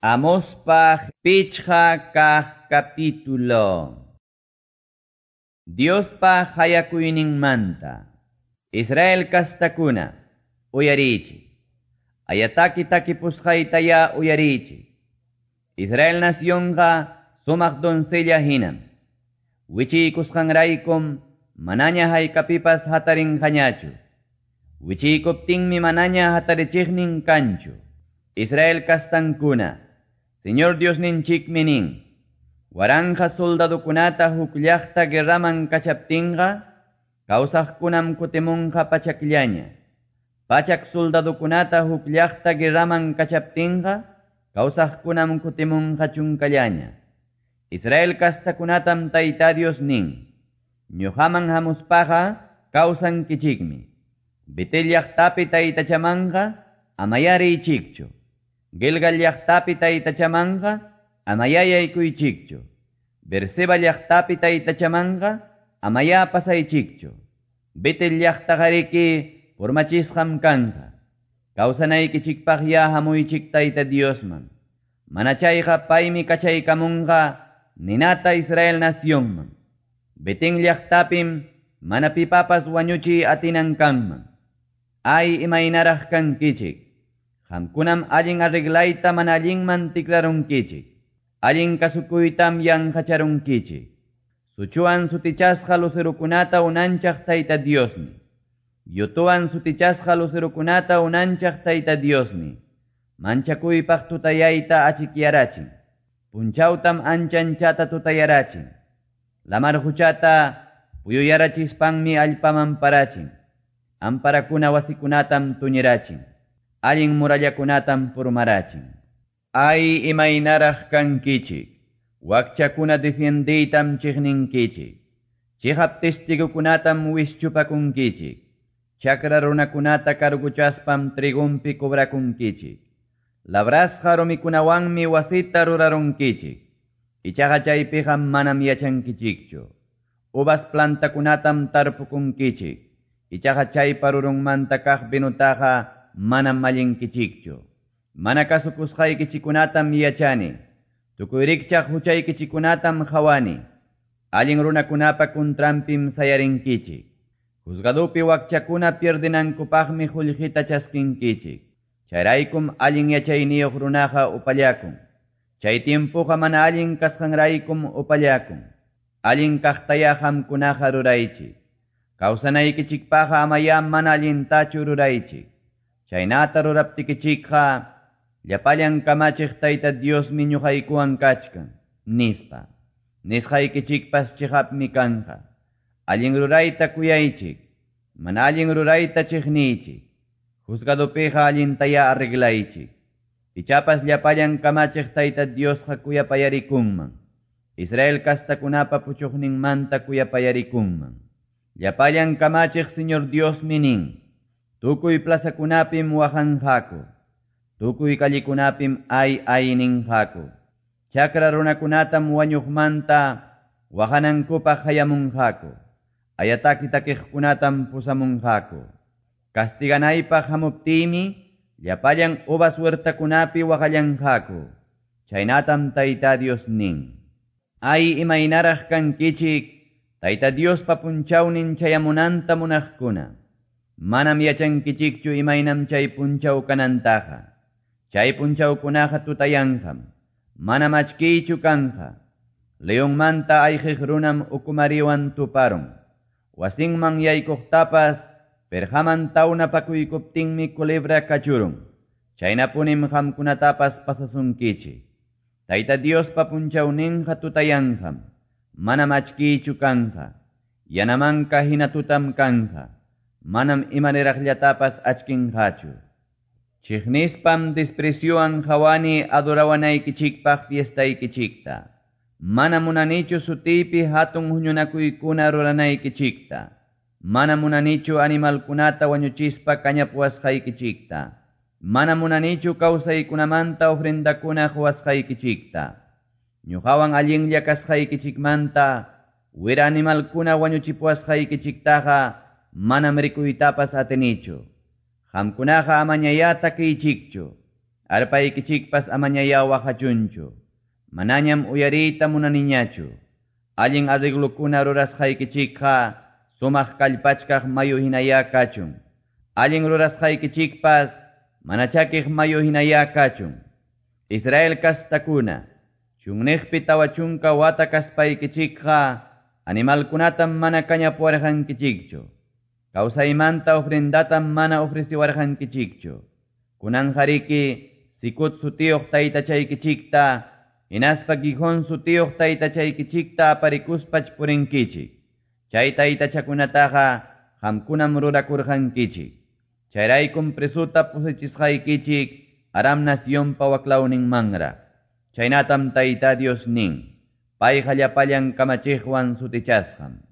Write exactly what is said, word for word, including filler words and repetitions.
Amospa pichqa kaq capítulo. Diospa qayakuyninmanta. Israel kastakuna, uyarichi. Ayataki takipusqaytaya uyarichi. Israel nacionqa sumaq doncella hinam. Wichiykusqanraykum manaña haykapipas hatarinqañachu. Wichiykuptinmi manaña hatarichiqnin kanchu. Israel kastankuna, Señor Diosninchikmi nin, waranja soldadukunata huk llaqta guerraman kachaptinqa, kawsaqkunam kutimunqa pachakllaña. Pachak soldadukunata huk llaqta guerraman kachaptinqa, kawsaqkunam kutimunqa chunkallaña. Israel kastakunatam Tayta Dios nin, ñuqaman hamuspaqa kawsankichikmi. Betel llaqtapi taytachamanqa amayariychikchu. Gilgal llaqtapi taytachamanqa amayayaykuychikchu. Berseba llaqtapi taytachamanqa amaya pasaychikchu. Betel llaqtaqariki purmachisqam kanqa. Kawsanaykichikpaq ya hamuychik Tayta Diosman. Mana chayqa paymi kachaykamunqa ninata Israel nacionman. Betel llaqtapim mana pipapas wañuchi atinan kanman. Ay imaynaraq kankichik. Qamkunam allin arreglayta mana allinman tikrarunkichik. Allin kasukuytam yanqacharunkichik. Suchuwan sutichasqa lucerukunata unanchaq Tayta Diosmi. Yutuwan sutichasqa lucerukunata unanchaq Tayta Diosmi. Manchakuypaq tutayayta achikyarachin. Punchawtam anchanchata tutayarachin. Lamar huchata puyuyarachispanmi allpaman parachin. Amparakuna wasikunatam tuñirachin. Allin murallakunatam purmarachin. Ay imaynaraq kankichik. Wakchakuna defiendiytam chiqninkichik. Chiqap testigukunatam wischupakunkichik. Chakra runakunata karguchaspam trigumpi cobrakunkichik. Labrasqa rumikunawanmi wasita rurarunkichik. Ichaqa chaypiqa manam yachankichikchu. Uvas plantakunatam tarpukunkichik. Ichaqa chaypa rurunmanta kaq vinutaqa manam mallinkichikchu. Mana kasukusqaykichikunatam yachani. Tukuy rikchaq huchaykichikunatam qhawani. Allin runakunapa kuntrampim sayarinkichik. Juzgadupi wakchakuna pierdinankupaqmi qullqita chaskinkichik. Chayraykum allin yachayniyuq runaqa upallakun. Chay tiempuqa mana allin kasqanraykum upallakun. Allin kaqtaya qamkunaqa ruraychik. Kawsanaykichikpaqqa amaya mana allintachu ruraychik. Chaynata ruraptikichikqa llapallan kamachiq Tayta Diosmi ñuqaykuwan kachkan, nispa. Nisqaykichikpas chiqapmi kanqa. Allin rurayta kuyaychik, mana allin rurayta chiqniychik. Juzgadupiqa allintaya arreglaychik. Ichapas llapallan kamachiq Tayta Diosqa kuyapayarikunman. Israel kastakunapa puchuqninmanta kuyapayarikunman. Llapallan kamachiq Señor Diosmi nin, tukuy plazakunapim waqanqaku. Tukuy kallikunapim ay ay ninqaku. Chakra runakunatam wañuqmanta waqanankupaq hayamunqaku. Ayataki takiqkunatam pusamunqaku. Castiganaypaq hamuptiymi llapallan uvas huertakunapi waqallanqaku. Chaynatam Tayta Dios nin. Ay imaynaraq kankichik Tayta Diospa punchawnin chayamunanta munaqkuna. Manam yachankichikchu imaynam chay punchaw kanantaqa. Chay punchawkunaqa tutayanqam. Manam achkiychu kanqa. Leonmanta ayqiq runam ukumariwan tuparun. Wasinman yaykuqtapas perqaman tawnapakuykuptinmi culebra kachurun. Chaynapunim qamkunatapas pasasunkichik. Tayta Diospa punchawninqa tutayanqam. Manam achkiychu kanqa. Yanamanka hina tutam kanqa. Manam imaniraqllatapas achkinqachu. Chiqnispam despreciuwan qhawani adorawanaykichikpaq fiestaykichikta. Mana munanichu sutiypi hatun huñunakuykuna ruranaykichikta. Mana munanichu animalkunata wañuchispa kañapuwasqaykichikta. Mana munanichu kawsaykunamanta ofrendakuna quwasqaykichikta. Ñuqawan allinlla kasqaykichikmanta wira animalkuna wañuchipuwasqaykichiktaqa manam rikuytapas atinichu. Qamkunaqa amañaya takiychikchu. Arpaykichikpas amañayá waqachunchu. Manañam uyariyta munaniñachu. Allin arreglokuna rurasqaykichikqa sumaq kallpachkaq mayu hinayá kachun. Allin rurasqaykichikpas mana chakiq mayu hinayá kachun. Israel kastakuna, chunniqpi tawa chunka wata kaspaykichikqa animalkunatam mana kañapuwarqankichikchu. Kawsaymanta ofrendatam mana ofreciwarqankichikchu. Kunanqariki Sikut sutiyuq taytachaykichikta, hinaspa Gijón sutiyuq taytachaykichikta aparikuspach purinkichik. Chay taytachakunataqa qamkunam rurakurqankichik. Chayraykum presuta pusachisqaykichik Aram nacionpa waklawninmanraq. Chaynatam Tayta Dios nin. Payqa llapallan kamachiqwan sutichasqam.